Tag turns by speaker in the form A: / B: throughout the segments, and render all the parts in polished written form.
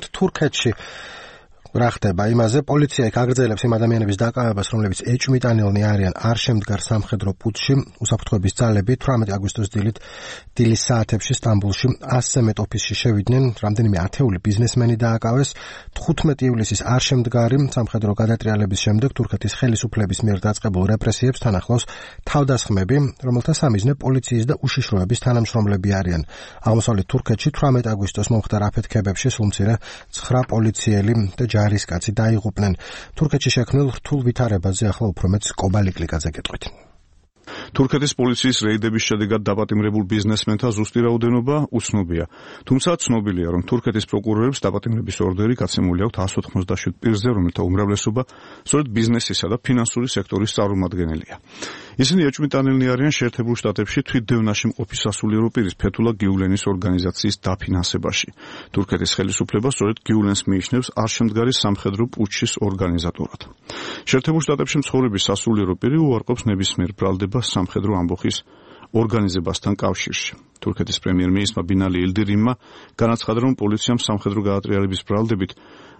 A: თურქეთში რა ხდება იმაზე, პოლიცია იქ აგრძელებს იმ ადამიანების დაკავებას, რომლებიც ეჭვმიტანილნი არიან არ შემდგარ სამხედრო პუტჩში. უსაფრთხოების ძალები 18 აგვისტოს დილის საათებში სტამბულში 100-ზე მეტ ოფისში შევიდნენ, რამდენიმე ათეული ბიზნესმენი დააკავეს. 15 ივლისის არ შემდგარი სამხედრო გადატრიალების შემდეგ თურქეთის ხელისუფლების მიერ დაწყებულ რეპრესიებს თან ახლავს თავდასხმები, რომელთა სამიზნე პოლიციის და უშიშროების თანამშრომლები არიან. აღმოსავლეთ თურქეთში 18 აგვისტოს მომხდარ აფეთქებებში სულ მცირე 9 პოლიციელი და ჯარისკაცი დაიღუპნენ. თურქეთში შექმნილ რთულ ვითარებაზე ახლა უფრო მეც კობალიკლიკაძე გეტყვით.
B: თურქეთის პოლიციის რეიდების შედეგად დაპატიმრებულ ბიზნესმენთა ზუსტი რაოდენობა უცნობია. თუმცა ცნობილია, რომ თურქეთის პროკურორებს დაპატიმრების ორდერი გაცემული აქვთ 197 პირზე, რომელთა უმრავლესობა სწორედ ბიზნესისა და ფინანსური სექტორის წარმომადგენელია. ისინი ეჭვმიტანილნი არიან შეერთებულ შტატებში თვითდევნაში მყოფი სასულიერო პირის ფეთულა გიულენის ორგანიზაციის დაფინანსებაში. თურქეთის ხელისუფლება სწორედ გიულენს მიიჩნევს არშემდგარი სამხედრო პუტჩის ორგანიზატორად. შეერთებულ შტატებში მცხოვრები სასულიერო პირი უარყოფს ნებისმიერ ბრალდება სამხედრო ამბოხის ორგანიზებასთან კავშირში. თურქეთის პრემიერ-მინისტრმა ბინალი ილდირიმმა განაცხადა, რომ პოლიციამ სამხედრო გადატრიალების ბრალდებით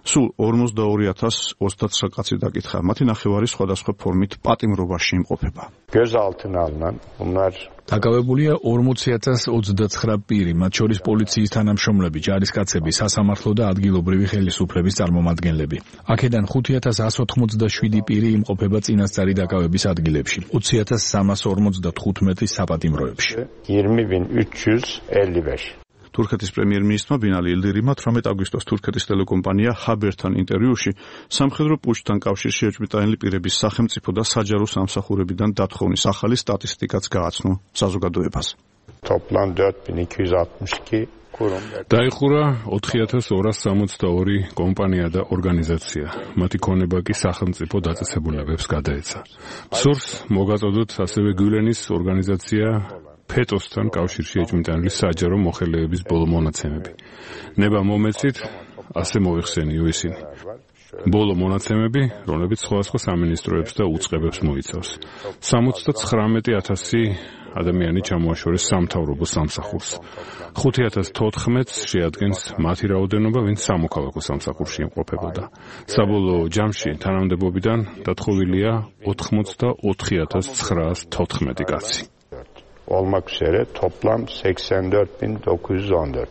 B: სულ 42029 კაცი დაკითხა. მათი ნახევარი სხვადასხვა ფორმით პატიმრობაში იმყოფება.
C: დაკავებულია 40029 პირი, მათ შორის პოლიციის თანამშრომლები, ჯარისკაცები, სასამართლო და ადგილობრივი ხელისუფლების წარმომადგენლები. აქედან 5187 პირი იმყოფება წინასწარი დაკავების ადგილებში, 20355 საპატიმროებში.
B: თურქეთის პრემიერ-მინისტრმა ბინალი ილდირიმმა 18 აგვისტოს თურქეთის ტელეკომპანია ჰაბერთან ინტერვიუში სამხედრო პუტჩთან კავშირში ეჭვმიტანილი პირების სახელმწიფო და საჯარო სამსახურებიდან დათხოვნის ახალი სტატისტიკაც გააცნო საზოგადოებას.
D: დაიხურა 4262 კომპანია და ორგანიზაცია. მათი ქონება კი სახელმწიფო დაწესებულებებს გადაეცა. სურს მოგაწოდოთ ასევე გიულენის ორგანიზაცია ფეტოსთან კავშირში ეჭვმიტანილი საჯარო მოხელეების ბოლო მონაცემები. ნება მომეცით, ასე მოიხსენიო ისინი. ბოლო მონაცემები, რომლებიც სხვადასხვა სამინისტროებს და უწყებებს მოიცავს. 79000 ადამიანი ჩამოაშორეს სამთავრობო სამსახურს. 5014 შეადგენს მათი რაოდენობა, ვინც სამოქალაქო სამსახურში იმყოფებოდა. საბოლოო ჯამში თანამდებობიდან დათხოვილია 84914 კაცი.
E: Olmak üzere toplam 84.914.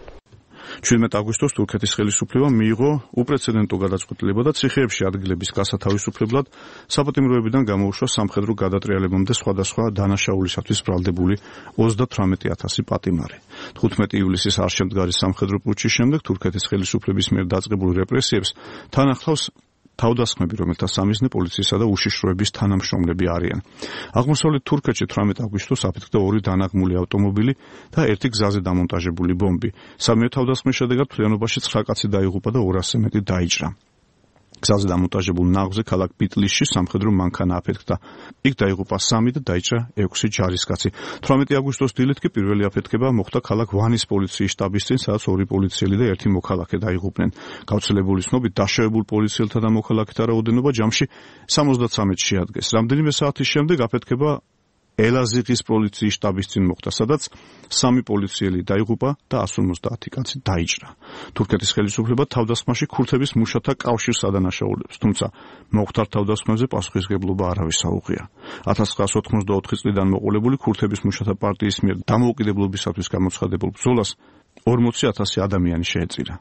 B: 17 აგვისტოს თურქეთის ხელისუფლებამ მიიღო უპრეცედენტო გადაწყვეტილება და ციხეებში ადგილების გასათავისუფლებლად საპატიმროებიდან გამოუშვა სამხედრო გადატრიალებამდე სხვადასხვა დანაშაულისათვის ბრალდებული 38000 პატიმარი. 15 ივლისის არშემდგარი სამხედრო პუტჩის შემდეგ თურქეთის ხელისუფლების მიერ დაწყებულ რეპრესიებს თან ახლავს თავდასხმები, რომელთა სამიზნე პოლიციისა და უშიშროების თანამშრომლები არიან. აღმოსავლეთ თურქეთში 18 აგვისტოს აფეთქდა 2 დანაღმული ავტომობილი და 1 გზაზე დამონტაჟებული ბომბი. სამივე თავდასხმის შედეგად მთლიანობაში 9 კაცი დაიღუპა და 200-ზე მეტი დაიჭრა. გზაზე დამონტაჟებულ ნაღვზე ქალაქ ბიტლისში სამხედრო მანქანა აფეთქდა. იქ დაიღუპა 3 და დაიჭრა 6 ჯარისკაცი. 18 აგვისტოს დილით კი პირველი აფეთქება მოხდა ქალაქ ვანის პოლიციის შტაბის წინ, სადაც 2 პოლიციელი და 1 მოქალაქე დაიღუპნენ. გავრცელებული ცნობით დაშავებულ პოლიციელთა და მოქალაქეთა რაოდენობა ჯამში 73-ს შეადგენს. რამდენიმე საათის შემდეგ აფეთქება ელაზიღის პოლიციის შტაბის წინ მოხდა, სადაც 3 პოლიციელი დაიღუპა და 150 კაცი დაიჭრა. თურქეთის ხელისუფლება თავდასხმაში ქურთების მუშათა კავშირს ადანაშაულებს, თუმცა მომხდარ თავდასხმებზე პასუხისმგებლობა არავის აუღია. 1984 წლიდან მოყოლებული ქურთების მუშათა პარტიის მიერ დამოუკიდებლობისათვის გამოცხადებულ ბრძოლას 40000 ადამიანი შეეწირა.